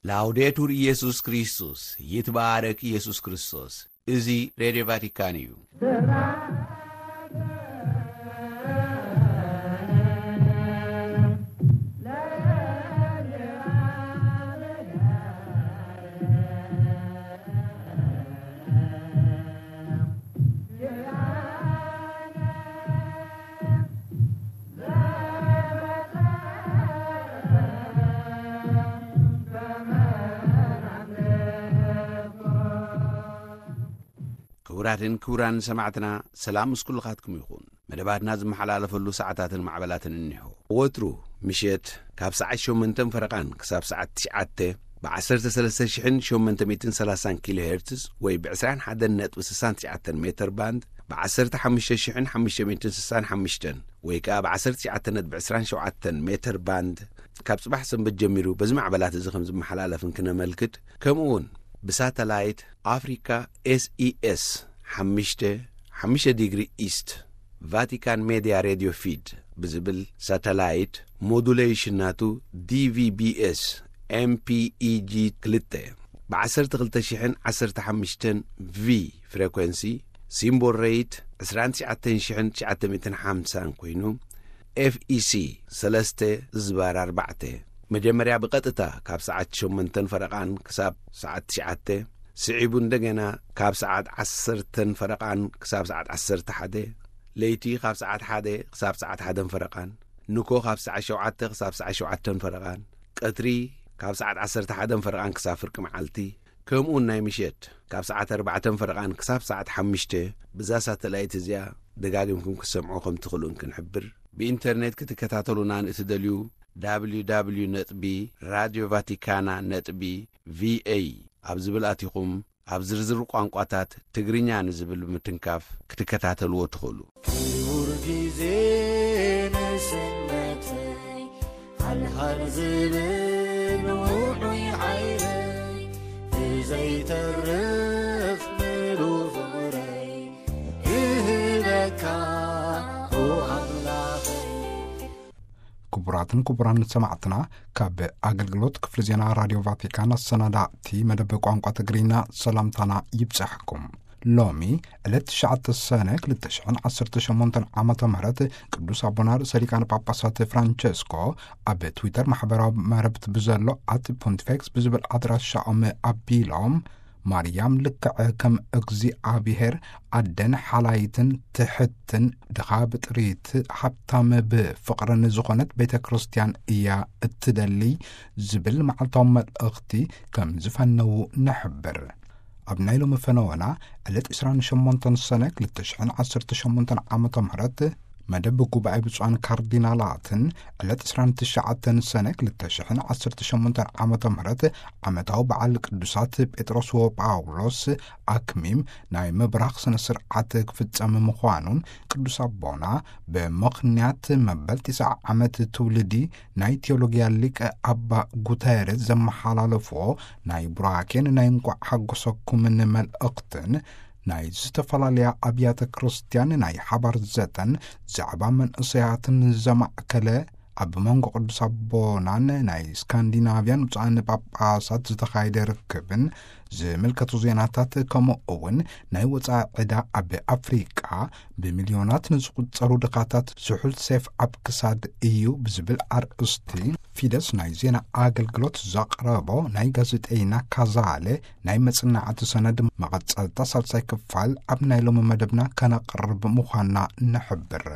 ላውዴቱር ኢየሱስ ክርስቶስ፣ ይትባረክ ኢየሱስ ክርስቶስ። እዚ ሬድዮ ቫቲካን እዩ። ክቡራትን ክቡራን ሰማዕትና፣ ሰላም ምስ ኩልኻትኩም ይኹን። መደባትና ዝመሓላለፈሉ ሰዓታትን ማዕበላትን እኒሆ። ወትሩ ምሸት ካብ ሰዓት ሸሞንተን ፈረቓን ክሳብ ሰዓት ትሽዓተ ብ13,830 ኪሎ ሄርትዝ ወይ ብ21.69 ሜትር ባንድ፣ ብ15,565 ወይ ከኣ ብ19.27 ሜትር ባንድ፣ ካብ ጽባሕ ሰንበት ጀሚሩ በዚ ማዕበላት እዚ ከም ዝመሓላለፍን ክነመልክት፣ ከምኡ እውን ብሳተላይት ኣፍሪካ ኤስኢኤስ ሓሙሽተ፣ ሓሙሽተ ዲግሪ ኢስት፣ ቫቲካን ሜድያ ሬድዮ ፊድ ብዝብል ሳተላይት፣ ሞዱሌሽን ናቱ ዲቪቢኤስ ኤምፒኢጂ ክልተ ብ12,015 ቪ ፍሬኮንሲ፣ ሲምቦል ሬት ዕስራን ትሽዓተን ሽሕን ትሽዓተ ሚእትን ሓምሳን ኮይኑ፣ ኤፍኢሲ ሰለስተ ዝባር ኣርባዕተ፣ መጀመርያ ብቐጥታ ካብ ሰዓት ሸሞንተን ፈረቓን ክሳብ ሰዓት ትሽዓተ፣ ስዒቡ እንደገና ካብ ሰዓት ዓሰርተን ፈረቓን ክሳብ ሰዓት ዓሰርተ ሓደ፣ ለይቲ ካብ ሰዓት ሓደ ክሳብ ሰዓት ሓደን ፈረቓን፣ ንኮ ካብ ሰዓት ሸውዓተ ክሳብ ሰዓት ሸውዓተን ፈረቓን፣ ቀትሪ ካብ ሰዓት ዓሰርተ ሓደን ፈረቓን ክሳብ ፍርቂ መዓልቲ፣ ከምኡውን ናይ ምሸት ካብ ሰዓት ኣርባዕተን ፈረቓን ክሳብ ሰዓት ሓሙሽተ፣ ብዛ ሳተላይት እዚኣ ደጋጊምኩም ክትሰምዑ ከም ትኽእሉን ክንሕብር። ብኢንተርኔት ክትከታተሉና ንእትደልዩ፣ www ነጥቢ ራድዮ ቫቲካና ነጥቢ ቪኤ ኣብ ዝብል ኣቲኹም፣ ኣብ ዝርዝር ቋንቋታት ትግርኛ ንዝብል ብምትንካፍ ክትከታተልዎ ትኽእሉ። ክቡር ግዜ ንስነተይ፣ ሃልሃል ዝብል ውዑይ ዓይነይ፣ ብዘይተርፍ ምሉእ ፍቕረይ እህበካ፣ ኦ ኣምላኸይ። ክቡራትን ክቡራን ሰማዕትና፣ ካብ ኣገልግሎት ክፍሊ ዜና ራድዮ ቫቲካን ኣሰናዳእቲ መደብ ቋንቋ ትግርኛ ሰላምታና ይብጻሕኩም። ሎሚ ዕለት ትሽዓተ ሰነ ክልተ ሽሕን ዓሰርተ ሸሞንተን ዓመተ ምህረት ቅዱስ ኣቦና ርእሰ ሊቃነ ጳጳሳት ፍራንቸስኮ ኣብ ትዊተር ማሕበራዊ መረብት ብዘሎ ኣት ፖንቲፌክስ ብዝብል ኣድራሻኦም ኣቢሎም፣ ማርያም ልክዕ ከም እግዚኣብሔር ኣደን ሓላይትን ትሕትን ድኻ ብጥሪት ሃብታም ብፍቕርን ዝኾነት ቤተ ክርስቲያን እያ እትደሊ ዝብል መዓልታዊ መልእኽቲ ከም ዝፈነዉ ንሕብር። ኣብ ናይ ሎሚ ፈነወና ዕለት ዕስራን ሸሞንተን ሰነ ክልተ ሽሕን ዓሰርተ ሸሞንተን ዓመተ ምህረት መደብ ጉባኤ ብፁዓን ካርዲናላትን ዕለት ዕስራን ትሽዓተን ሰነ ክልተ ሽሕን ዓሰርተ ሸሞንተን ዓመተ ምህረት ዓመታዊ በዓል ቅዱሳት ጴጥሮስ ወጳውሎስ ኣክሚም ናይ ምብራኽ ስነ ስርዓት ክፍጸም ምዃኑን ቅዱስ ኣቦና ብምኽንያት መበል ትስዓ ዓመት ትውልዲ ናይ ቴዎሎጊያ ሊቀ ኣባ ጉተረዝ ዘመሓላለፍዎ ናይ ቡራኬን ናይ እንቋዕ ሓጎሰኩምን መልእኽትን ናይ ዝተፈላለያ ኣብያተ ክርስቲያን ናይ ሓባር ዘተን ዛዕባ መንእሰያትን ዘማእከለ ኣብ መንጎ ቅዱስ ኣቦናን ናይ ስካንዲናቭያን ብፁዓን ጳጳሳት ዝተኻየደ ርክብን ዝምልከቱ ዜናታት ከምኡ እውን ናይ ወፃኢ ዕዳ ኣብ ኣፍሪቃ ብሚልዮናት ንዝቑጸሩ ድኻታት ስሑል ሴፍ ኣብ ክሳድ እዩ ብዝብል ኣርእስቲ ፊደስ ናይ ዜና ኣገልግሎት ዘቕረቦ ናይ ጋዜጠይና ካዛለ ናይ መጽናዕቲ ሰነድ መቐጸልታ ሳልሳይ ክፋል ኣብ ናይ ሎሚ መደብና ከነቕርብ ምዃንና ንሕብር።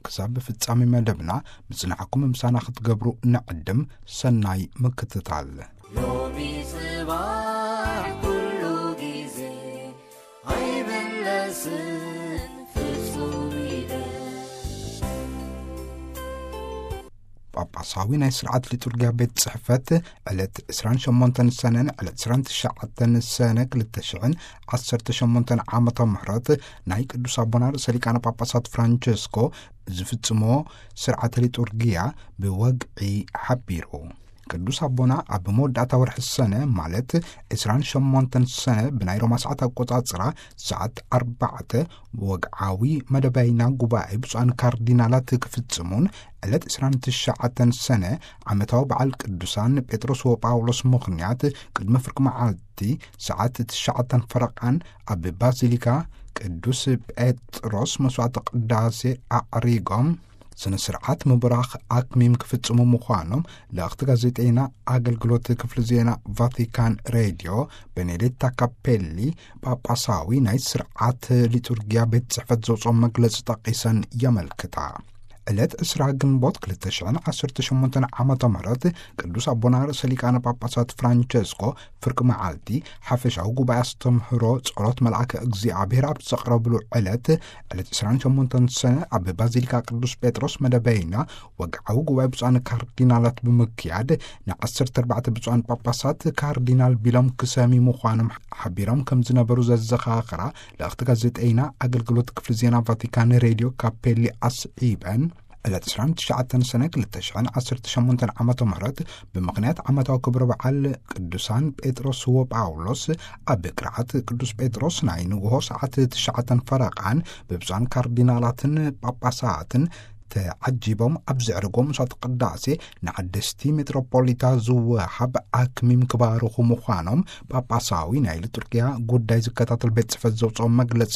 ክሳብ ፍጻሜ መደብና ምጽናዕኩም ምሳና ክትገብሩ ንዕድም። ሰናይ ምክትታል። ሎሚ ጽባሕ ኩሉ ግዜ ኣይምለስን ፍጹም ኢለ። ጳጳሳዊ ናይ ስርዓት ሊጡርጊያ ቤት ጽሕፈት ዕለት ዕስራን ሸሞንተን ሰነን ዕለት ዕስራን ትሽዓተን ሰነ ክልተ ሽሕን ዓሰርተ ሸሞንተን ዓመተ ምህረት ናይ ቅዱስ ኣቦና ርእሰ ሊቃነ ጳጳሳት ፍራንቸስኮ ዝፍጽሞ ስርዓተ ሊጡርጊያ ብወግዒ ሓቢሩ። ቅዱስ ኣቦና ኣብ መወዳእታ ወርሒ ሰነ፣ ማለት ዕስራን ሸሞንተን ሰነ ብናይ ሮማ ሰዓት ኣቆጻጽራ፣ ሰዓት ኣርባዕተ ወግዓዊ መደበይና ጉባኤ ብፁዓን ካርዲናላት ክፍጽሙን፣ ዕለት ዕስራን ትሽዓተን ሰነ ዓመታዊ በዓል ቅዱሳን ጴጥሮስ ወጳውሎስ ምኽንያት፣ ቅድሚ ፍርቂ መዓልቲ ሰዓት ትሽዓተን ፈረቓን ኣብ ባዚሊካ ቅዱስ ጴጥሮስ መስዋዕተ ቅዳሴ ኣዕሪጎም፣ ስነ ስርዓት ምብራኽ ኣክሚም ክፍጽሙ ምዃኖም ለእኽቲ ጋዜጠይና ኣገልግሎት ክፍሊ ዜና ቫቲካን ሬድዮ ቤኔዴታ ካፔሊ፣ ጳጳሳዊ ናይ ስርዓት ሊጡርጊያ ቤት ጽሕፈት ዘውፅኦ መግለጺ ጠቒሰን የመልክታ። ዕለት ዕስራ ግንቦት ክልተ ሽሕን ዓሰርተ ሸሞንተን ዓመተ ምህረት ቅዱስ ኣቦና ርእሰ ሊቃነ ጳጳሳት ፍራንቸስኮ ፍርቂ መዓልቲ ሓፈሻዊ ጉባኤ ኣስተምህሮ ጸሎት መልኣከ እግዚኣብሔር ኣብ ዘቕረብሉ ዕለት፣ ዕለት ዕስራን ሸሞንተን ሰነ ኣብ ባዚሊካ ቅዱስ ጴጥሮስ መደበይና ወግዓዊ ጉባኤ ብፁዓን ካርዲናላት ብምክያድ፣ ንዓሰርተ ኣርባዕተ ብፁዓን ጳጳሳት ካርዲናል ቢሎም ክሰሚ ምዃኖም ሓቢሮም ከም ዝነበሩ ዘዘኻኸራ ለእኽቲ ጋዜጠይና ኣገልግሎት ክፍሊ ዜና ቫቲካን ሬድዮ ካፔሊ ኣስዒበን፣ ዕለት ዕስራን ትሽዓተን ሰነ ክልተ ሽሕን ዓሰርተ ሸሞንተን ዓመተ ምህረት ብምኽንያት ዓመታዊ ክብረ በዓል ቅዱሳን ጴጥሮስ ወጳውሎስ ኣብ ቅርዓት ቅዱስ ጴጥሮስ ናይ ንግሆ ሰዓት ትሽዓተን ፈረቓን ብብፁዓን ካርዲናላትን ጳጳሳትን ተዓጂቦም ኣብ ዘዕርጎ መስዋዕተ ቅዳሴ ንዓደስቲ ሜትሮፖሊታ ዝወሃብ ኣክሚም ክባርኹ ምዃኖም ጳጳሳዊ ናይ ሊጡርጊያ ጉዳይ ዝከታተል ቤት ጽሕፈት ዘውፅኦ መግለጺ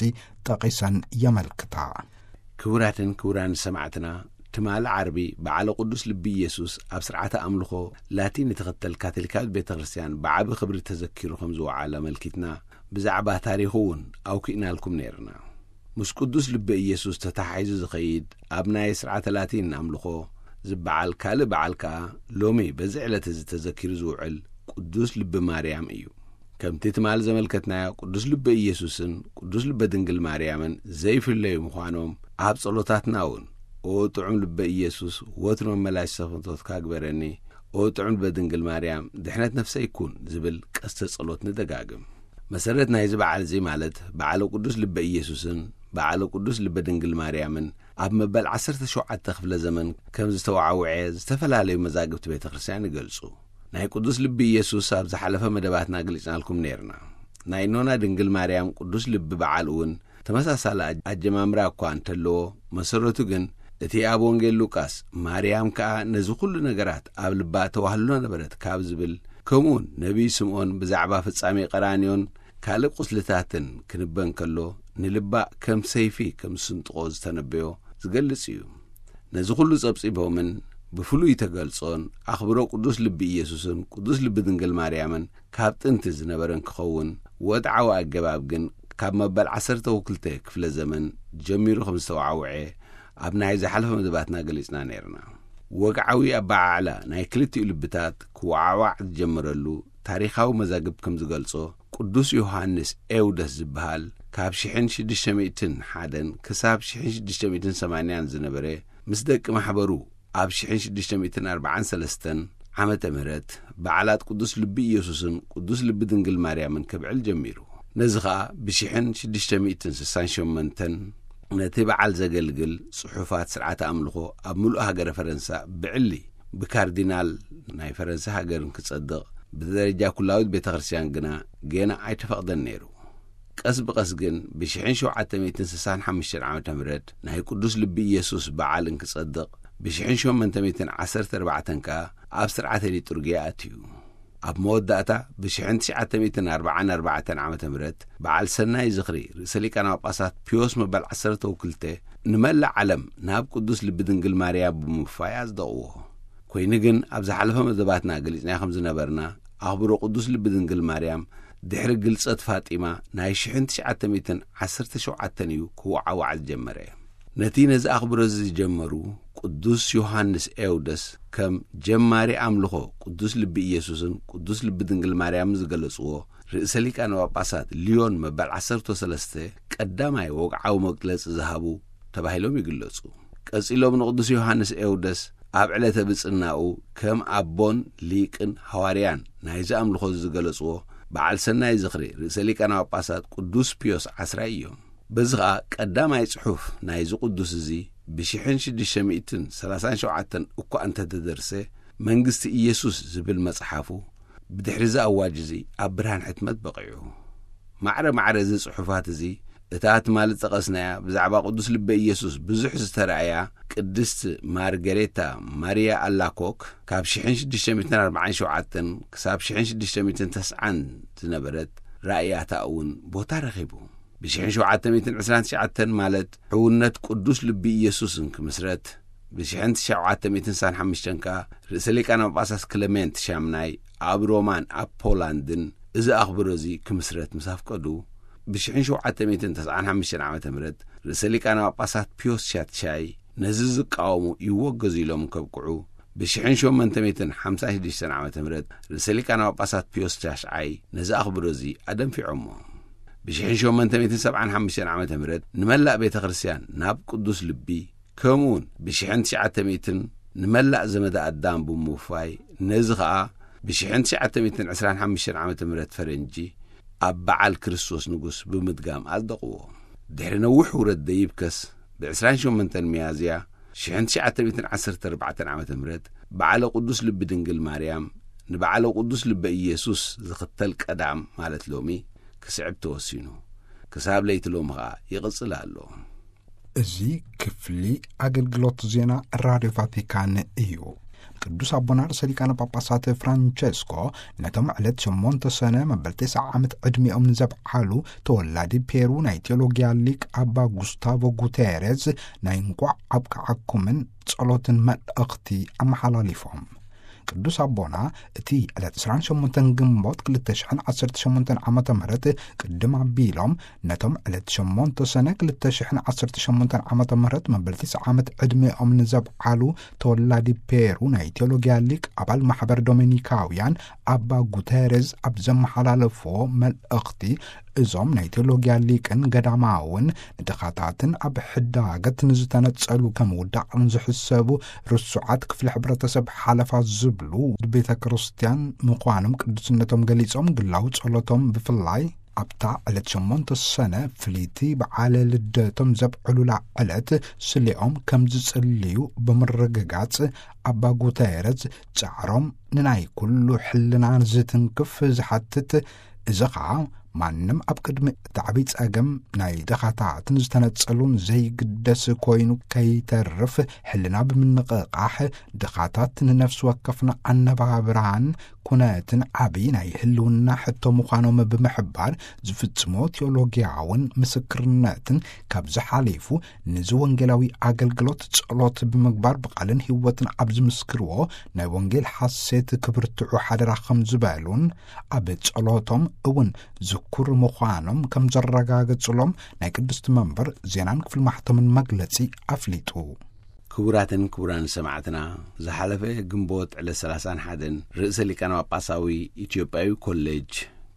ጠቒሰን የመልክታ። ክቡራትን ክቡራን ሰማዕትና፣ ትማሊ ዓርቢ በዓለ ቅዱስ ልቢ ኢየሱስ ኣብ ስርዓተ ኣምልኾ ላቲን እትኽተል ካቶሊካዊት ቤተ ክርስቲያን ብዓቢ ክብሪ ተዘኪሩ ከም ዝወዓለ ኣመልኪትና፣ ብዛዕባ ታሪኹ እውን ኣውኪእናልኩም ነይርና። ምስ ቅዱስ ልቢ ኢየሱስ ተተሓሒዙ ዝኸይድ ኣብ ናይ ስርዓተ ላቲን ኣምልኾ ዝበዓል ካልእ በዓል ከኣ ሎሚ በዚ ዕለት እዚ ተዘኪሩ ዝውዕል ቅዱስ ልቢ ማርያም እዩ። ከምቲ ትማሊ ዘመልከትናዮ፣ ቅዱስ ልቢ ኢየሱስን ቅዱስ ልቢ ድንግል ማርያምን ዘይፍለዩ ምዃኖም ኣብ ጸሎታትና እውን፣ "ኦ ጥዑም ልቢ ኢየሱስ፣ ወትሩ መመላሽ ሰፈቶትካ ግበረኒ፣ ኦ ጥዑም ልቢ ድንግል ማርያም፣ ድሕነት ነፍሰይ ኩን" ዝብል ቀስተ ጸሎት ንደጋግም። መሰረት ናይዚ በዓል እዚ፣ ማለት በዓለ ቅዱስ ልቢ ኢየሱስን በዓለ ቅዱስ ልቢ ድንግል ማርያምን፣ ኣብ መበል ዓሰርተ ሸውዓተ ክፍለ ዘመን ከም ዝተዋዕውዐ ዝተፈላለዩ መዛግብቲ ቤተ ክርስቲያን ይገልጹ። ናይ ቅዱስ ልቢ ኢየሱስ ኣብ ዝሓለፈ መደባትና ገሊጽናልኩም ነይርና። ናይ እኖና ድንግል ማርያም ቅዱስ ልቢ በዓል እውን ተመሳሳሊ ኣጀማምራ እኳ እንተለዎ፣ መሰረቱ ግን እቲ ኣብ ወንጌል ሉቃስ፣ "ማርያም ከኣ ነዚ ኩሉ ነገራት ኣብ ልባ ተዋህልሎ ነበረት" ካብ ዝብል፣ ከምኡውን ነቢይ ስምዖን ብዛዕባ ፍጻሜ ቀራንዮን ካልእ ቁስልታትን ክንበ እንከሎ፣ ንልባ ከም ሰይፊ ከም ዝስንጥቆ ዝተነበዮ ዝገልጽ እዩ። ነዚ ኩሉ ጸብጺቦምን ብፍሉይ ተገልጾን ኣኽብሮ ቅዱስ ልቢ ኢየሱስን ቅዱስ ልቢ ድንግል ማርያምን ካብ ጥንቲ ዝነበረን ክኸውን፣ ወድዓዊ ኣገባብ ግን ካብ መበል ዓሰርተ ክልተ ክፍለ ዘመን ጀሚሩ ከም ዝተዋዕውዐ ኣብ ናይ ዝሓለፈ መደባትና ገሊጽና ነይርና። ወግዓዊ ኣበዓዕላ ናይ ክልቲኡ ልብታት ክወዓዋዕ ዝጀመረሉ ታሪኻዊ መዛግብ ከም ዝገልጾ፣ ቅዱስ ዮሃንስ ኤውደስ ዝበሃል፣ ካብ ሽሕን ሽዱሽተ ሚእትን ሓደን ክሳብ ሽሕን ሽዱሽተ ሚእትን ሰማንያን ዝነበረ፣ ምስ ደቂ ማሕበሩ ኣብ ሽሕን ሽዱሽተ ሚእትን ኣርባዓን ሰለስተን ዓመተ ምህረት በዓላት ቅዱስ ልቢ ኢየሱስን ቅዱስ ልቢ ድንግል ማርያምን ከብዕል ጀሚሩ። ነዚ ኸኣ ብሽሕን ሽዱሽተ ሚእትን ስሳን ሸሞንተን ነቲ በዓል ዘገልግል ጽሑፋት ስርዓተ ኣምልኾ ኣብ ምሉእ ሃገረ ፈረንሳ ብዕሊ ብካርዲናል ናይ ፈረንሳ ሃገርን ክጸድቕ፣ ብደረጃ ኩላዊት ቤተ ክርስቲያን ግና ጌና ኣይተፈቕደን ነይሩ። ቀስ ብቐስ ግን ብሽሕን ሸውዓተ ሚእትን ስሳን ሓሙሽተን ዓመተ ምህረት ናይ ቅዱስ ልቢ ኢየሱስ በዓል እንክጸድቕ፣ ብሽሕን ሸሞንተ ሚእትን ዓሰርተ ኣርባዕተን ከኣ ኣብ ስርዓተ ሊጡርጊያ ኣትዩ። ኣብ መወዳእታ፣ ብሽሕን ትሽዓተ ሚእትን ኣርባዓን ኣርባዕተን ዓመተ ምህረት በዓል ሰናይ ዝኽሪ ርእሰ ሊቃነ ጳጳሳት ፒዮስ መበል ዓሰርተ ክልተ ንመላእ ዓለም ናብ ቅዱስ ልቢ ድንግል ማርያም ብምፍፋይ ኣጽደቕዎ። ኮይኑ ግን፣ ኣብ ዝሓለፈ መደባትና ገሊጽና ከም ዝነበርና፣ ኣኽብሮ ቅዱስ ልቢ ድንግል ማርያም ድሕሪ ግልጸት ፋጢማ ናይ ሽሕን ትሽዓተ ሚእትን ዓሰርተ ሸውዓተን እዩ ክወዓዋዕ ዝጀመረ። ነቲ ነዚ ኣኽብሮ እዚ ዝጀመሩ፣ ቅዱስ ዮሃንስ ኤውደስ ከም ጀማሪ ኣምልኾ ቅዱስ ልቢ ኢየሱስን ቅዱስ ልቢ ድንግል ማርያምን ዝገለጽዎ፣ ርእሰ ሊቃነ ጳጳሳት ሊዮን መበል ዓሰርተ ሰለስተ ቀዳማይ ወግዓዊ መግለጺ ዝሃቡ ተባሂሎም ይግለጹ። ቀጺሎም ንቅዱስ ዮሃንስ ኤውደስ ኣብ ዕለተ ብጽናኡ ከም ኣቦን ሊቅን ሃዋርያን ናይዚ ኣምልኾ እዚ ዝገለጽዎ፣ በዓል ሰናይ ዝኽሪ ርእሰ ሊቃነ ጳጳሳት ቅዱስ ፒዮስ ዓስራይ እዮም። በዚ ኸኣ ቀዳማይ ጽሑፍ ናይዚ ቅዱስ እዚ ብሽሕን ሽዱሽተ ሚእትን ሰላሳን ሸውዓተን እኳ እንተተደርሰ፣ መንግስቲ ኢየሱስ ዝብል መጽሓፉ ብድሕሪ እዚ ኣዋጅ እዚ ኣብ ብርሃን ሕትመት በቒዑ። ማዕረ ማዕረ እዚ ጽሑፋት እዚ፣ እታ ትማሊ ዝጠቐስናያ ብዛዕባ ቅዱስ ልበ ኢየሱስ ብዙሕ ዝተራእያ ቅድስት ማርገሬታ ማሪያ ኣላኮክ፣ ካብ ሽሕን ሽዱሽተ ሚእትን ኣርባዓን ሸውዓተን ክሳብ ሽሕን ሽዱሽተ ሚእትን ተስዓን ዝነበረት ራእያታ እውን ቦታ ረኺቡ። ብሽሕን ሸውዓተ ሚእትን ዕስራን ትሽዓተን፣ ማለት ሕውነት ቅዱስ ልቢ ኢየሱስን ክምስረት፣ ብሽሕን ሸውዓተ ሚእትን ስሳን ሓሙሽተን ከኣ ርእሰ ሊቃነ ጳጳሳት ክለሜንት ሻምናይ ኣብ ሮማን ኣብ ፖላንድን እዚ ኣኽብሮ እዚ ክምስረት ምስ ኣፍቀዱ፣ ብሽሕን ሸውዓተ ሚእትን ተስዓን ሓሙሽተን ዓመተ ምህረት ርእሰ ሊቃነ ጳጳሳት ፒዮስ ሻትሻይ ነዚ ዝቃወሙ ይወገዙ ኢሎም ከብቅዑ፣ ብሽሕን ሸሞንተ ሚእትን ሓምሳን ሽዱሽተን ዓመተ ምህረት ርእሰ ሊቃነ ጳጳሳት ፒዮስ ሻሽዓይ ነዚ ኣኽብሮ እዚ ኣደንፊዖሞ። ብሽሕን ሸሞንተ ሚእትን ሰብዓን ሓሙሽተን ዓመተ ምህረት ንመላእ ቤተ ክርስቲያን ናብ ቅዱስ ልቢ፣ ከምኡውን ብሽሕን ትሽዓተ ሚእትን ንመላእ ዘመደ ኣዳም ብምውፋይ፣ ነዚ ኸኣ ብሽሕን ትሽዓተ ሚእትን ዕስራን ሓሙሽተን ዓመተ ምህረት ፈረንጂ ኣብ በዓል ክርስቶስ ንጉስ ብምድጋም ኣጽደቕዎ። ድሕሪ ነዊሕ ውረድ ደይብከስ፣ ብ ዕስራን ሸሞንተን ሚያዝያ ሽሕን ትሽዓተ ሚእትን ዓሰርተ ኣርባዕተን ዓመተ ምህረት በዓለ ቅዱስ ልቢ ድንግል ማርያም ንበዓለ ቅዱስ ልበ ኢየሱስ ዝኽተል ቀዳም፣ ማለት ሎሚ፣ ክስዕብ ተወሲኑ። ክሳብ ለይቲ ሎሚ ኸኣ ይቕጽል ኣሎ። እዚ ክፍሊ ኣገልግሎት ዜና ራድዮ ቫቲካን እዩ። ቅዱስ ኣቦና ርእሰ ሊቃነ ጳጳሳት ፍራንቸስኮ ነቶም ዕለት ሸሞንተ ሰነ መበል ተስዓ ዓመት ዕድሚኦም ንዘብዓሉ ተወላዲ ፔሩ ናይ ቴዎሎጊያ ሊቅ ኣባ ጉስታቮ ጉቴሬዝ ናይ እንቋዕ ኣብቅዓኩምን ጸሎትን መልእኽቲ ኣመሓላሊፎም። ቅዱስ ኣቦና እቲ ዕለት ዕስራን ሸሞንተን ግንቦት ክልተ ሽሕን ዓሰርተ ሸሞንተን ዓመተ ምህረት ቅድም ኣቢሎም ነቶም ዕለት ሸሞንተ ሰነ ክልተ ሽሕን ዓሰርተ ሸሞንተን ዓመተ ምህረት መበል ትስዓ ዓመት ዕድሜኦም ንዘብዓሉ ተወላዲ ፔሩ ናይ ቴዎሎጊያ ሊቅ ኣባል ማሕበር ዶሚኒካውያን ኣባ ጉተረዝ ኣብ ዘመሓላለፍዎ መልእኽቲ፣ እዞም ናይ ቴዎሎጊያ ሊቅን ገዳማውን ንድኻታትን ኣብ ሕዳገት ንዝተነጸሉ ከም ውዳቕ ንዝሕሰቡ ርሱዓት ክፍሊ ሕብረተሰብ ሓለፋ ዝብሉ ቤተ ክርስቲያን ምዃኖም ቅዱስነቶም ገሊጾም፣ ግላዊ ጸሎቶም ብፍላይ ኣብታ ዕለት ሸሞንተ ሰነ ፍልይቲ በዓለ ልደቶም ዘብዕሉላ ዕለት ስሌኦም ከም ዝጽልዩ ብምርግጋጽ፣ ኣባ ጉተረዝ ጻዕሮም ንናይ ኩሉ ሕልና ዝትንክፍ ዝሓትት፣ እዚ ኸኣ ማንም ኣብ ቅድሚ እቲ ዓብዪ ጸገም ናይ ድኻታት ንዝተነጸሉን ዘይግደስ ኮይኑ ከይተርፍ፣ ሕልና ብምንቕቓሕ ድኻታት ንነፍሲ ወከፍና ኣነባብራን ኩነትን ዓብዪ ናይ ህልውና ሕቶ ምዃኖም ብምሕባር፣ ዝፍጽሞ ቴዎሎጊያውን ምስክርነትን ካብዚ ሓሊፉ ንዚ ወንጌላዊ ኣገልግሎት ጸሎት ብምግባር ብቓልን ህይወትን ኣብ ዝምስክርዎ ናይ ወንጌል ሓሴት ክብርትዑ ሓደራ ከም ዝበሉን ኣብ ጸሎቶም እውን ዝኩር ምዃኖም ከም ዘረጋገጹሎም ናይ ቅድስቲ መንበር ዜናን ክፍሊ ማሕተምን መግለጺ ኣፍሊጡ። ክቡራትን ክቡራን ሰማዕትና፣ ዝሓለፈ ግንቦት ዕለት ሰላሳን ሓደን ርእሰ ሊቃነ ጳጳሳዊ ኢትዮጵያዊ ኮሌጅ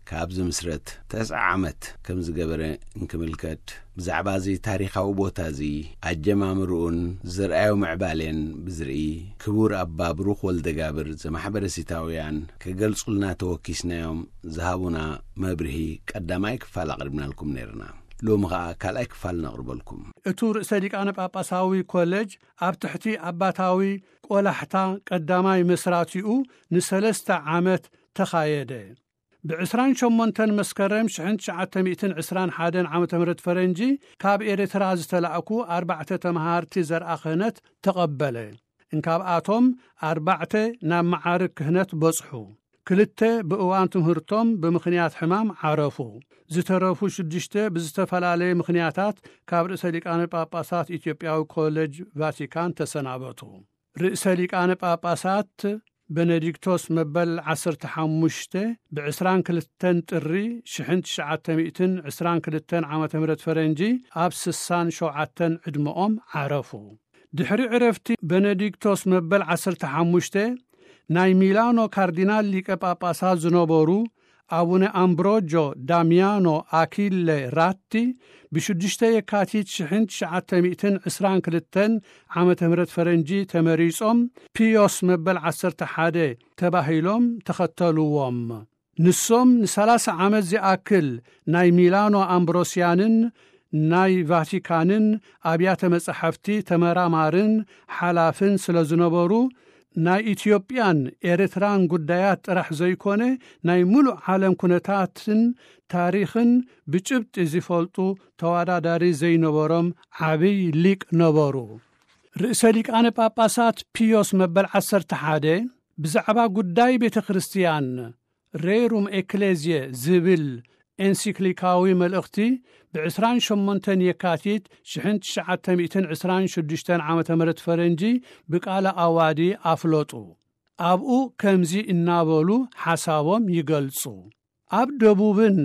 ካብ ዝምስረት ተስዓ ዓመት ከም ዝገበረ እንክምልከት፣ ብዛዕባ እዚ ታሪኻዊ ቦታ እዚ ኣጀማምርኡን ዝርኣዮ ምዕባሌን ብዝርኢ፣ ክቡር ኣባ ብሩኽ ወልደጋብር ዘማሕበረ ሲታውያን ክገልጹልና ተወኪስናዮም ዝሃቡና መብርሂ ቀዳማይ ክፋል ኣቕሪብናልኩም ነይርና። ሎሚ ኸኣ ካልኣይ ክፋል ነቕርበልኩም። እቱ ርእሰ ሊቃነ ጳጳሳዊ ኮሌጅ ኣብ ትሕቲ ኣባታዊ ቆላሕታ ቀዳማይ መስራቲኡ ንሰለስተ ዓመት ተኻየደ። ብዕስራን ሸሞንተን መስከረም ሽሕን ትሽዓተ ሚእትን ዕስራን ሓደን ዓመተ ምህረት ፈረንጂ ካብ ኤርትራ ዝተላእኩ ኣርባዕተ ተመሃርቲ ዘርኣ ክህነት ተቐበለ። እንካብኣቶም ኣርባዕተ ናብ መዓርግ ክህነት በጽሑ። ክልተ ብእዋን ትምህርቶም ብምኽንያት ሕማም ዓረፉ። ዝተረፉ ሽዱሽተ ብዝተፈላለየ ምኽንያታት ካብ ርእሰ ሊቃነ ጳጳሳት ኢትዮጵያዊ ኮሌጅ ቫቲካን ተሰናበቱ። ርእሰ ሊቃነ ጳጳሳት በነዲክቶስ መበል ዓሰርተ ሓሙሽተ ብ ዕስራን ክልተን ጥሪ ሽሕን ትሽዓተ ሚእትን ዕስራን ክልተን ዓመተ ምህረት ፈረንጂ ኣብ ስሳን ሸውዓተን ዕድመኦም ዓረፉ። ድሕሪ ዕረፍቲ በነዲክቶስ መበል ዓሰርተ ሓሙሽተ ናይ ሚላኖ ካርዲናል ሊቀ ጳጳሳት ዝነበሩ ኣቡነ ኣምብሮጆ ዳሚያኖ ኣኪለ ራቲ ብሽዱሽተ የካቲት ሽሕን ትሽዓተ ሚእትን ዕስራን ክልተን ዓመተ ምህረት ፈረንጂ ተመሪጾም ፒዮስ መበል ዓሰርተ ሓደ ተባሂሎም ተኸተልዎም። ንሶም ንሰላሳ ዓመት ዝኣክል ናይ ሚላኖ ኣምብሮስያንን ናይ ቫቲካንን ኣብያተ መጻሕፍቲ ተመራማርን ሓላፍን ስለ ዝነበሩ፣ ናይ ኢትዮጵያን ኤርትራን ጉዳያት ጥራሕ ዘይኮነ፣ ናይ ምሉእ ዓለም ኩነታትን ታሪኽን ብጭብጢ ዝፈልጡ ተወዳዳሪ ዘይነበሮም ዓብይ ሊቅ ነበሩ። ርእሰ ሊቃነ ጳጳሳት ፒዮስ መበል ዓሰርተ ሓደ ብዛዕባ ጉዳይ ቤተ ክርስቲያን ሬሩም ኤክሌዝየ ዝብል ኤንሲክሊካዊ መልእኽቲ ብ ዕስራን ሸሞንተን የካቲት ሽሕን ትሽዓተ ሚእትን ዕስራን ሽዱሽተን ዓመተ ምህረት ፈረንጂ ብቃለ ኣዋዲ ኣፍለጡ። ኣብኡ ከምዚ እናበሉ ሓሳቦም ይገልጹ። ኣብ ደቡብን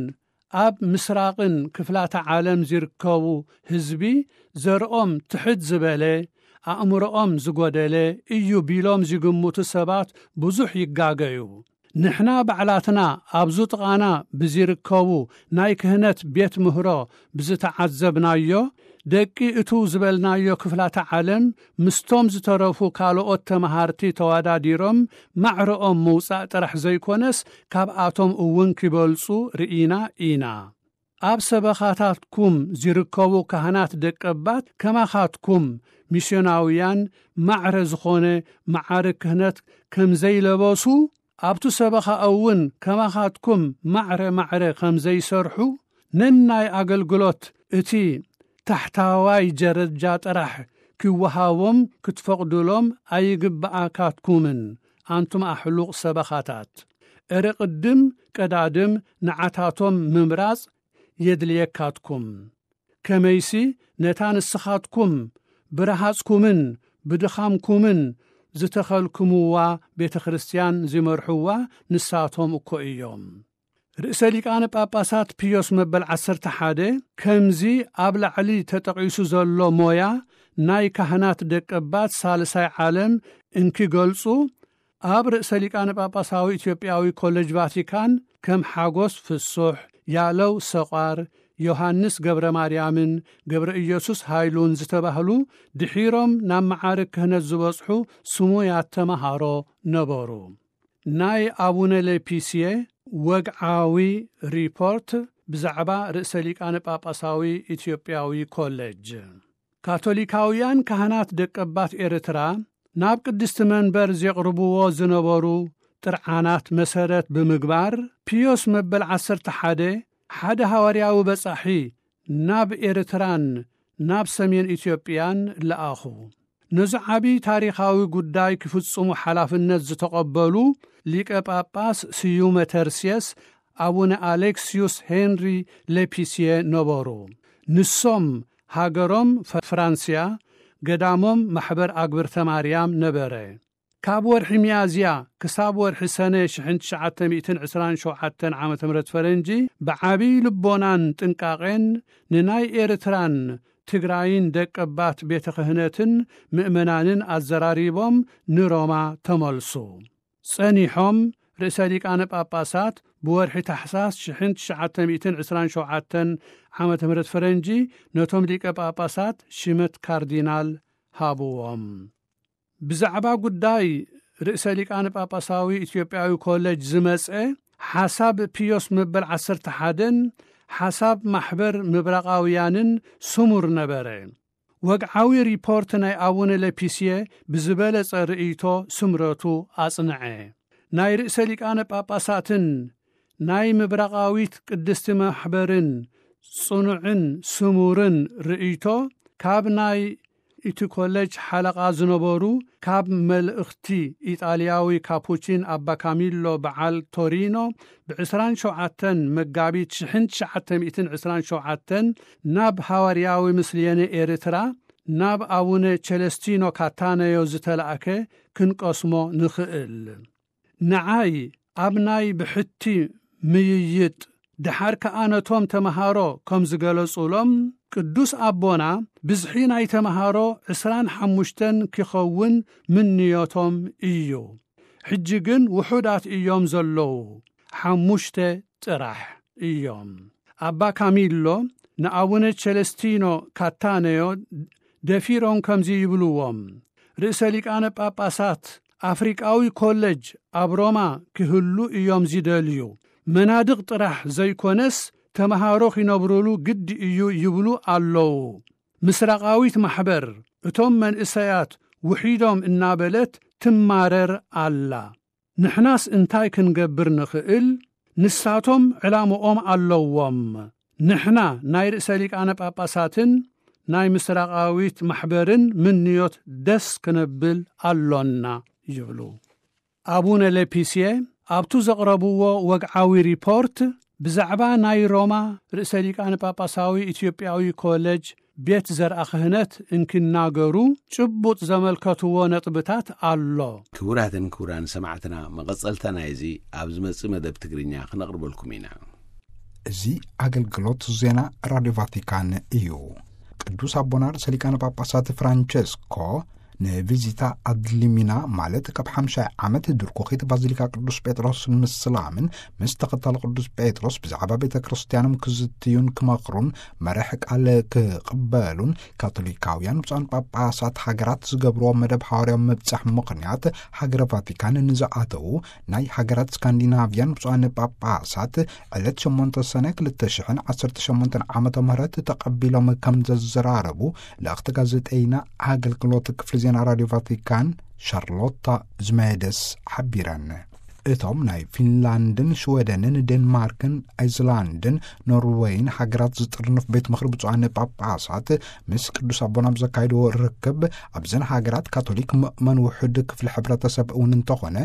ኣብ ምስራቕን ክፍላተ ዓለም ዝርከቡ ህዝቢ ዘርኦም ትሕት ዝበለ፣ ኣእምሮኦም ዝጎደለ እዩ ቢሎም ዝግምቱ ሰባት ብዙሕ ይጋገዩ። ንሕና ባዕላትና ኣብዚ ጥቓና ብዝርከቡ ናይ ክህነት ቤት ምህሮ ብዝተዓዘብናዮ፣ ደቂ እቱ ዝበልናዮ ክፍላተ ዓለም ምስቶም ዝተረፉ ካልኦት ተመሃርቲ ተወዳዲሮም ማዕረኦም ምውጻእ ጥራሕ ዘይኮነስ፣ ካብኣቶም እውን ክበልጹ ርኢና ኢና። ኣብ ሰበኻታትኩም ዝርከቡ ካህናት ደቀባት ከማኻትኩም ሚስዮናውያን ማዕረ ዝኾነ መዓርግ ክህነት ከም ዘይለበሱ፣ ኣብቱ ሰበኻ እውን ከማኻትኩም ማዕረ ማዕረ ከም ዘይሰርሑ፣ ነናይ ኣገልግሎት እቲ ታሕታዋይ ደረጃ ጥራሕ ክወሃቦም ክትፈቕዱሎም ኣይግብኣካትኩምን፣ ኣንቱም ኣሕሉቕ ሰበኻታት። እረ ቅድም ቀዳድም ንዓታቶም ምምራጽ የድልየካትኩም። ከመይሲ ነታ ንስኻትኩም ብረሃጽኩምን ብድኻምኩምን ዝተኸልክምዋ ቤተ ክርስቲያን ዝመርሕዋ ንሳቶም እኮ እዮም። ርእሰ ሊቃነ ጳጳሳት ፒዮስ መበል ዓሰርተ ሓደ ከምዚ ኣብ ላዕሊ ተጠቒሱ ዘሎ ሞያ ናይ ካህናት ደቀባት ሳልሳይ ዓለም እንኪገልጹ፣ ኣብ ርእሰ ሊቃነ ጳጳሳዊ ኢትዮጵያዊ ኮሌጅ ቫቲካን ከም ሓጎስ ፍሱሕ፣ ያለው ሰቋር፣ ዮሃንስ ገብረ ማርያምን ገብረ ኢየሱስ ሃይሉን ዝተባህሉ ድሒሮም ናብ መዓርግ ክህነት ዝበጽሑ ስሙያት ተመሃሮ ነበሩ። ናይ ኣቡነ ሌፒስየ ወግዓዊ ሪፖርት ብዛዕባ ርእሰ ሊቃነ ጳጳሳዊ ኢትዮጵያዊ ኮሌጅ። ካቶሊካውያን ካህናት ደቀባት ኤርትራ ናብ ቅድስቲ መንበር ዘቕርብዎ ዝነበሩ ጥርዓናት መሰረት ብምግባር፣ ፒዮስ መበል ዓሰርተ ሓደ ሓደ ሃዋርያዊ በጻሒ ናብ ኤርትራን ናብ ሰሜን ኢትዮጵያን ለኣኹ። ነዚ ዓቢ ታሪኻዊ ጉዳይ ክፍጽሙ ሓላፍነት ዝተቐበሉ ሊቀ ጳጳስ ስዩመ ተርሴስ ኣቡነ ኣሌክስዩስ ሄንሪ ሌፒስየ ነበሩ። ንሶም ሃገሮም ፈ-፣ ፍራንስያ፣ ገዳሞም ማሕበር ኣግብርተ ማርያም ነበረ። ካብ ወርሒ ሚያዝያ ክሳብ ወርሒ ሰነ ሽሕን ትሽዓተ ሚእትን ዕስራን ሸውዓተን ዓመተ ምህረት ፈረንጂ ብዓቢ ልቦናን ጥንቃቄን ንናይ ኤርትራን ትግራይን ደቀባት ቤተ ክህነትን ምእመናንን ኣዘራሪቦም ንሮማ ተመልሱ። ጸኒሖም ርእሰ ሊቃነ ጳጳሳት ብወርሒ ታሕሳስ ሽሕን ትሽዓተ ሚእትን ዕስራን ሸውዓተን ዓመተ ምህረት ፈረንጂ ነቶም ሊቀ ጳጳሳት ሽመት ካርዲናል ሃብዎም። ብዛዕባ ጉዳይ ርእሰ ሊቃነ ጳጳሳዊ ኢትዮጵያዊ ኮሌጅ ዝመጸ ሓሳብ ፒዮስ መበል ዓሰርተ ሓደን ሓሳብ ማሕበር ምብራቓውያንን ስሙር ነበረ። ወግዓዊ ሪፖርት ናይ ኣቡነ ሌፒስየ ብዝበለጸ ርእይቶ ስምረቱ ኣጽንዐ። ናይ ርእሰ ሊቃነ ጳጳሳትን ናይ ምብራቓዊት ቅድስቲ ማሕበርን ጽኑዕን ስሙርን ርእይቶ ካብ ናይ እቲ ኮሌጅ ሓለቓ ዝነበሩ ካብ መልእኽቲ ኢጣልያዊ ካፑቺን ኣባ ካሚሎ በዓል ቶሪኖ ብ ዕስራን ሸውዓተን መጋቢት ሽሕን ትሽዓተ ሚእትን ዕስራን ሸውዓተን ናብ ሃዋርያዊ ምስልየነ ኤርትራ ናብ ኣቡነ ቸለስቲኖ ካታነዮ ዝተላእከ ክንቀስሞ ንኽእል። ንዓይ ኣብ ናይ ብሕቲ ምይይጥ፣ ደሓር ከኣ ነቶም ተመሃሮ ከም ዝገለጹሎም፣ ቅዱስ ኣቦና ብዝሒ ናይ ተመሃሮ ዕስራን ሓሙሽተን ኪኸውን ምንዮቶም እዩ። ሕጂ ግን ውሑዳት እዮም ዘለዉ፣ ሓሙሽተ ጥራሕ እዮም። ኣባ ካሚሎ ንኣቡነ ቸለስቲኖ ካታነዮ ደፊሮም ከምዚ ይብልዎም፣ ርእሰ ሊቃነ ጳጳሳት ኣፍሪቃዊ ኮለጅ ኣብ ሮማ ክህሉ እዮም ዝደልዩ። መናድቕ ጥራሕ ዘይኮነስ ተመሃሮ ኺነብሩሉ ግዲ እዩ ይብሉ ኣለዉ። ምስራቓዊት ማሕበር እቶም መንእሰያት ውሒዶም እናበለት ትማረር ኣላ። ንሕናስ እንታይ ክንገብር ንኽእል? ንሳቶም ዕላምኦም ኣለዎም። ንሕና ናይ ርእሰ ሊቃነ ጳጳሳትን ናይ ምስራቓዊት ማሕበርን ምንዮት ደስ ክነብል ኣሎና ይብሉ። ኣቡነ ሌፒስየ ኣብቱ ዘቕረብዎ ወግዓዊ ሪፖርት ብዛዕባ ናይ ሮማ ርእሰ ሊቃነ ጳጳሳዊ ኢትዮጵያዊ ኮሌጅ ቤት ዘርኣ ክህነት እንክናገሩ ጭቡጥ ዘመልከትዎ ነጥብታት ኣሎ። ክቡራትን ክቡራን ሰማዕትና፣ መቐጸልታ ናይዚ ኣብ ዝመጽእ መደብ ትግርኛ ክነቕርበልኩም ኢና። እዚ ኣገልግሎት ዜና ራዲዮ ቫቲካን እዩ። ቅዱስ ኣቦና ርእሰ ሊቃነ ጳጳሳት ፍራንቸስኮ ንቪዚታ ኣድሊሚና፣ ማለት ካብ ሓምሻይ ዓመት ድርኩኺት ባዚሊካ ቅዱስ ጴጥሮስ ምስላምን ምስ ተኸታሊ ቅዱስ ጴጥሮስ ብዛዕባ ቤተ ክርስቲያኖም ክዝትዩን ክመኽሩን መርሕ ቃል ክቕበሉን ካቶሊካውያን ብፁዓን ጳጳሳት ሃገራት ዝገብርዎ መደብ ሓዋርያዊ ምብጻሕ ምኽንያት ሃገረ ቫቲካን ንዝኣተዉ ናይ ሃገራት ስካንዲናቭያን ብፁዓን ጳጳሳት ዕለት ሸሞንተ ሰነ ክልተ ሽሕን ዓሰርተ ሸሞንተን ዓመተ ምህረት ተቐቢሎም ከም ዘዘራረቡ ልእኽቲ ጋዜጠይና ኣገልግሎት ክፍሊ ዜና ራዲዮ ቫቲካን ሻርሎታ ዝመደስ ሓቢረን። እቶም ናይ ፊንላንድን ሽወደንን ዴንማርክን ኣይስላንድን ኖርወይን ሃገራት ዝጥርንፍ ቤት ምኽሪ ብፁዓን ጳጳሳት ምስ ቅዱስ ኣቦና ኣብ ዘካየድዎ ርክብ፣ ኣብዘን ሃገራት ካቶሊክ ምእመን ውሑድ ክፍሊ ሕብረተሰብ እውን እንተኾነ፣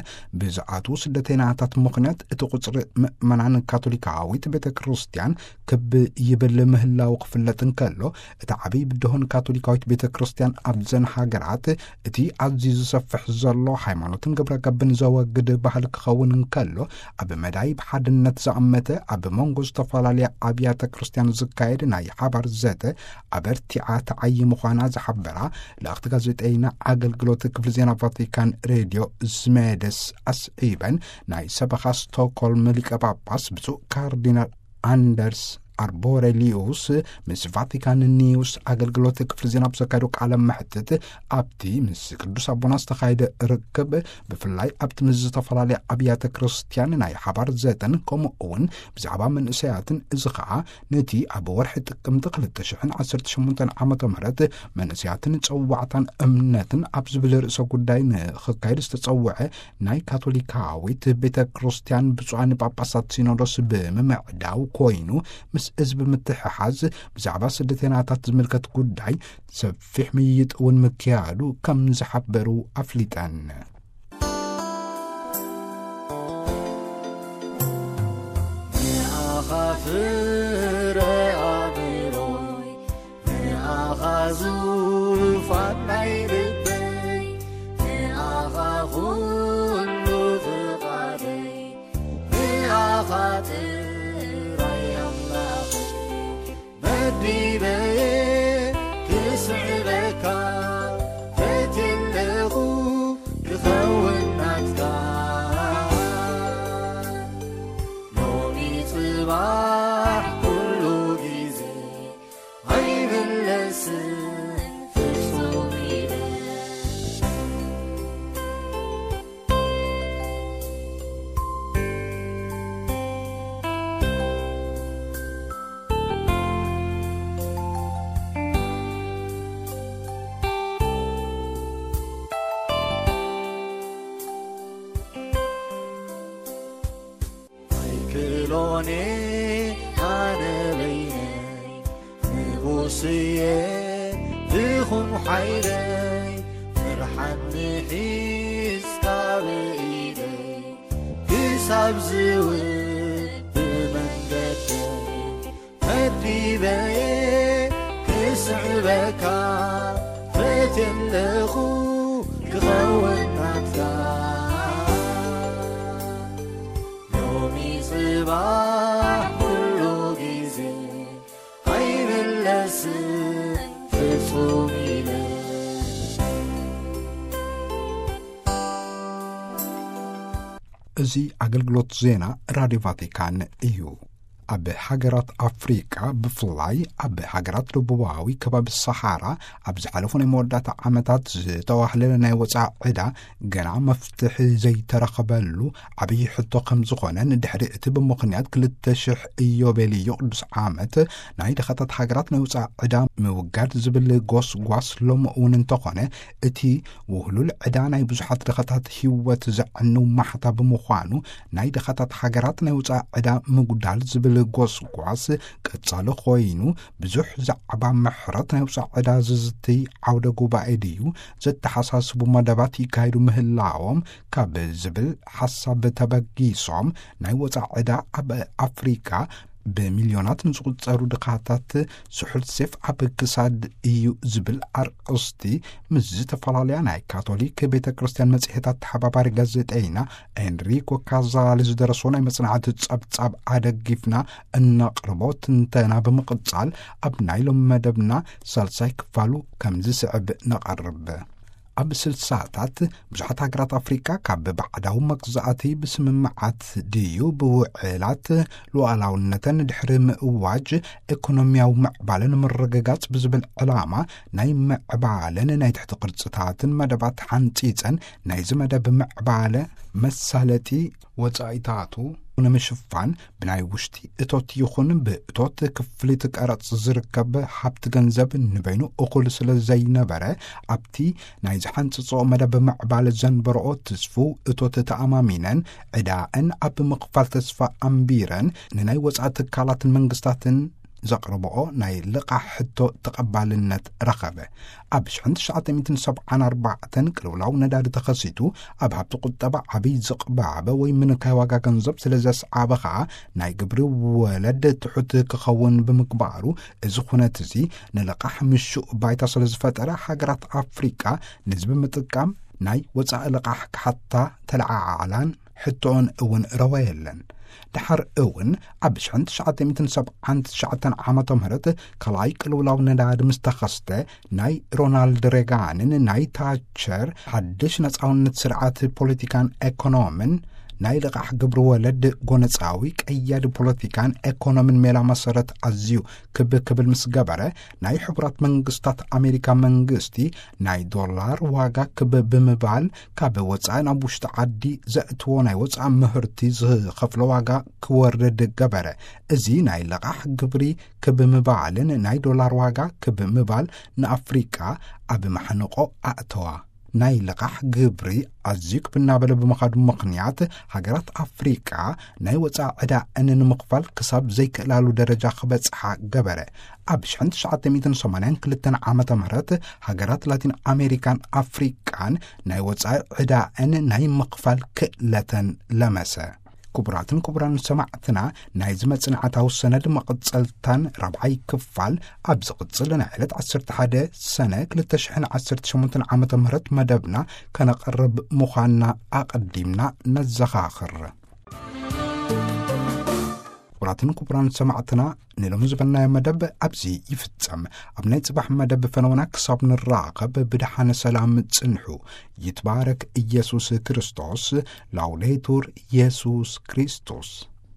ብዝኣትዉ ስደተይናታት ምኽንያት እቲ ቁጽሪ ምእመናን ካቶሊካዊት ቤተ ክርስቲያን ክብ ይብል ምህላው ክፍለጥ እንከሎ፣ እቲ ዓብዪ ብድሆን ካቶሊካዊት ቤተ ክርስቲያን ኣብዘን ሃገራት እቲ ኣዝዩ ዝሰፍሕ ዘሎ ሃይማኖትን ግብረ ገብን ዘወግድ ባህል ክኸውን እንከሎ፣ ኣብ መዳይ ብሓድነት ዝኣመተ ኣብ መንጎ ዝተፈላለያ ኣብያተ ክርስቲያን ዝካየድ ናይ ሓባር ዘተ ኣበርቲዓ ተዓዪ ምዃና ዝሓበራ ልእኽቲ ጋዜጠይና ኣገልግሎት ክፍሊ ዜና ቫቲካን ሬድዮ ዝመደስ ኣስዒበን፣ ናይ ሰበኻ ስቶክሆልም ሊቀ ጳጳስ ብፁዕ ካርዲናል ኣንደርስ ኣርቦሬሊዩስ ምስ ቫቲካን ኒውስ ኣገልግሎት ክፍሊ ዜና ብዘካየዶ ቃለ መሕትት፣ ኣብቲ ምስ ቅዱስ ኣቦና ዝተኻየደ ርክብ፣ ብፍላይ ኣብቲ ምስ ዝተፈላለያ ኣብያተ ክርስቲያን ናይ ሓባር ዘተን ከምኡ እውን ብዛዕባ መንእሰያትን፣ እዚ ኸኣ ነቲ ኣብ ወርሒ ጥቅምቲ ክልተ ሽሕን ዓሰርተ ሸሞንተን ዓመተ ምህረት መንእሰያትን ጸዋዕታን እምነትን ኣብ ዝብል ርእሰ ጉዳይ ንኽካየድ ዝተጸውዐ ናይ ካቶሊካዊት ቤተ ክርስቲያን ብፁዓን ጳጳሳት ሲኖዶስ ብምምዕዳው ኮይኑ፣ ምስ እዚ ብምትሕሓዝ ብዛዕባ ስደተይናታት ዝምልከት ጉዳይ ሰፊሕ ምይይጥ እውን ምክያዱ ከም ዝሓበሩ ኣፍሊጠን። ንኣኻ ፍረ ኣእምሮይ፣ ንኣኻ ዙፋን ናይ ልበይ፣ ንኣኻ ኩሉ ፍቓደይ፣ ንኣኻ ጥራይ ኣምላኸይ መዲበየ ክስዕበካ ፈትየለኹ ክኸውን ናትካ። ሎሚ ጽባሕ ኩሉ ግዜ ኣይምለስን ፍጹም ኢለ። ኣይክእሎን ኣነ በይነይ፣ ንጉስየ ድኹም ሓይለይ፣ ፍርሓት ንሒዝካ ብኢደይ፣ ክሳብ ዝውብ መንገደይ መዲበየ ክስዕበካ ፈትየለኹ ክኸውን ናትካ። ሎሚ ጽባሕ ኩሉ ግዜ ኣይምለስን ፍጹም ኢለ። እዚ ኣገልግሎት ዜና ራዲዮ ቫቲካን እዩ። ኣብ ሃገራት ኣፍሪቃ፣ ብፍላይ ኣብ ሃገራት ደቡባዊ ከባቢ ሰሓራ፣ ኣብ ዝሓለፉ ናይ መወዳእታ ዓመታት ዝተዋህለለ ናይ ወጻኢ ዕዳ ገና መፍትሒ ዘይተረኸበሉ ዓብዪ ሕቶ ከም ዝኾነ፣ ንድሕሪ እቲ ብምኽንያት ክልተ ሽሕ ኢዮቤልዮ ቅዱስ ዓመት ናይ ድኻታት ሃገራት ናይ ወጻኢ ዕዳ ምውጋድ ዝብል ጎስጓስ ሎም እውን እንተኾነ፣ እቲ ውህሉል ዕዳ ናይ ብዙሓት ድኻታት ህይወት ዘዕንው ማሕታ ብምዃኑ፣ ናይ ድኻታት ሃገራት ናይ ወጻኢ ዕዳ ምጉዳል ዝብል ጎስጓስ ቀጻሊ ኮይኑ፣ ብዙሕ ዛዕባ ምሕረት ናይ ወጻኢ ዕዳ ዝዝትይ ዓውደ ጉባኤ ድዩ ዘተሓሳስቡ መደባት ይካየዱ ምህላዎም ካብ ዝብል ሓሳብ ተበጊሶም፣ ናይ ወጻኢ ዕዳ ኣብ ኣፍሪቃ ብሚልዮናት ንዝቑጸሩ ድኻታት ስሑል ሴፍ ኣብ ክሳድ እዩ ዝብል ኣርእስቲ ምስ ዝተፈላለያ ናይ ካቶሊክ ቤተ ክርስቲያን መጽሔታት ተሓባባሪ ጋዜጠይና ኤንሪኮ ካዛሊ ዝደረሶ ናይ መጽናዕቲ ጸብጻብ ኣደጊፍና እነቕርቦ ትንተና ብምቕጻል፣ ኣብ ናይ ሎም መደብና ሳልሳይ ክፋሉ ከም ዝስዕብ ነቐርብ። ኣብ ስልሳታት ብዙሓት ሃገራት ኣፍሪቃ ካብ ባዕዳዊ መግዛእቲ ብስምምዓት ድዩ ብውዕላት ሉዓላውነተን ድሕሪ ምእዋጅ፣ ኢኮኖሚያዊ ምዕባለ ንምርግጋጽ ብዝብል ዕላማ ናይ ምዕባለን ናይ ትሕቲ ቅርጽታትን መደባት ሓንጺጸን፣ ናይዚ መደብ ምዕባለ መሳለጢ ወጻኢታቱ ንምሽፋን ብናይ ውሽጢ እቶት ይኹን ብእቶት ክፍሊት ቀረጽ ዝርከብ ሃብቲ ገንዘብ ንበይኑ እኹል ስለ ዘይነበረ፣ ኣብቲ ናይ ዝሓንጽጾ መደብ ምዕባለ ዘንበረኦ ትስፉው እቶት ተኣማሚነን፣ ዕዳእን ኣብ ምኽፋል ተስፋ ኣንቢረን፣ ንናይ ወጻኢ ትካላትን መንግስታትን ዘቕርብኦ ናይ ልቓሕ ሕቶ ተቐባልነት ረኸበ። ኣብ ሽሕን ትሽዓተ ሚእትን ሰብዓን ኣርባዕተን ቅልውላው ነዳዲ ተኸሲቱ፣ ኣብ ሃብቲ ቁጠባ ዓብይ ዝቕባበ ወይ ምንካይ ዋጋ ገንዘብ ስለ ዘስዓበ ኸኣ፣ ናይ ግብሪ ወለድ ትሑት ክኸውን ብምግባሩ፣ እዚ ኩነት እዚ ንልቓሕ ምሹእ ባይታ ስለ ዝፈጠረ፣ ሃገራት ኣፍሪቃ ነዚ ብምጥቃም ናይ ወጻኢ ልቓሕ ክሓታ ተለዓዓላን ሕቶኦን እውን ረወየለን። ድሓር እውን ኣብ ሽሕን ትሽዓተ ሚእትን ሰብዓን ትሽዓተን ዓመተ ምህረት ካልኣይ ቅልውላው ነዳዲ ምስ ተኸስተ፣ ናይ ሮናልድ ሬጋንን ናይ ታቸር ሓድሽ ነጻውነት ስርዓት ፖለቲካን ኤኮኖምን ናይ ልቓሕ ግብሪ ወለድ ጎነጻዊ ቀያዲ ፖለቲካን ኤኮኖምን ሜላ መሰረት ኣዝዩ ክብ ክብል ምስ ገበረ፣ ናይ ሕቡራት መንግስታት ኣሜሪካ መንግስቲ ናይ ዶላር ዋጋ ክብ ብምባል፣ ካብ ወጻኢ ናብ ውሽጢ ዓዲ ዘእትዎ ናይ ወጻኢ ምህርቲ ዝኸፍሎ ዋጋ ክወርድ ገበረ። እዚ ናይ ልቓሕ ግብሪ ክብ ምባልን ናይ ዶላር ዋጋ ክብ ምባል ንኣፍሪቃ ኣብ ማሕንቆ ኣእተዋ። ናይ ልቓሕ ግብሪ ኣዝዩ ክብ እናበለ ብምኻዱ ምኽንያት፣ ሃገራት ኣፍሪቃ ናይ ወጻኢ ዕዳኣን ንምኽፋል ክሳብ ዘይክእላሉ ደረጃ ክበጽሓ ገበረ። ኣብ ሽሕን ትሽዓተ ሚእትን ሰማንያን ክልተን ዓመተ ምህረት፣ ሃገራት ላቲን ኣሜሪካን ኣፍሪቃን ናይ ወጻኢ ዕዳኣን ናይ ምኽፋል ክእለተን ለመሰ። ክቡራትን ክቡራን ሰማዕትና፣ ናይዚ መጽናዕታዊ ሰነድ መቐጸልታን ራብዓይ ክፋል ኣብ ዝቕጽል ናይ ዕለት ዓሰርተ ሓደ ሰነ ክልተ ሽሕን ዓሰርተ ሸሞንተን ዓመተ ምህረት መደብና ከነቐርብ ምዃንና ኣቐዲምና ነዘኻኽር። ክቡራትን ክቡራን ሰማዕትና፣ ንሎሚ ዝበልናዮ መደብ ኣብዚ ይፍጸም። ኣብ ናይ ጽባሕ መደብ ፈነውና ክሳብ ንራኸብ ብደሓነ ሰላም ጽንሑ። ይትባረክ ኢየሱስ ክርስቶስ። ላውዴቱር ኢየሱስ ክርስቶስ።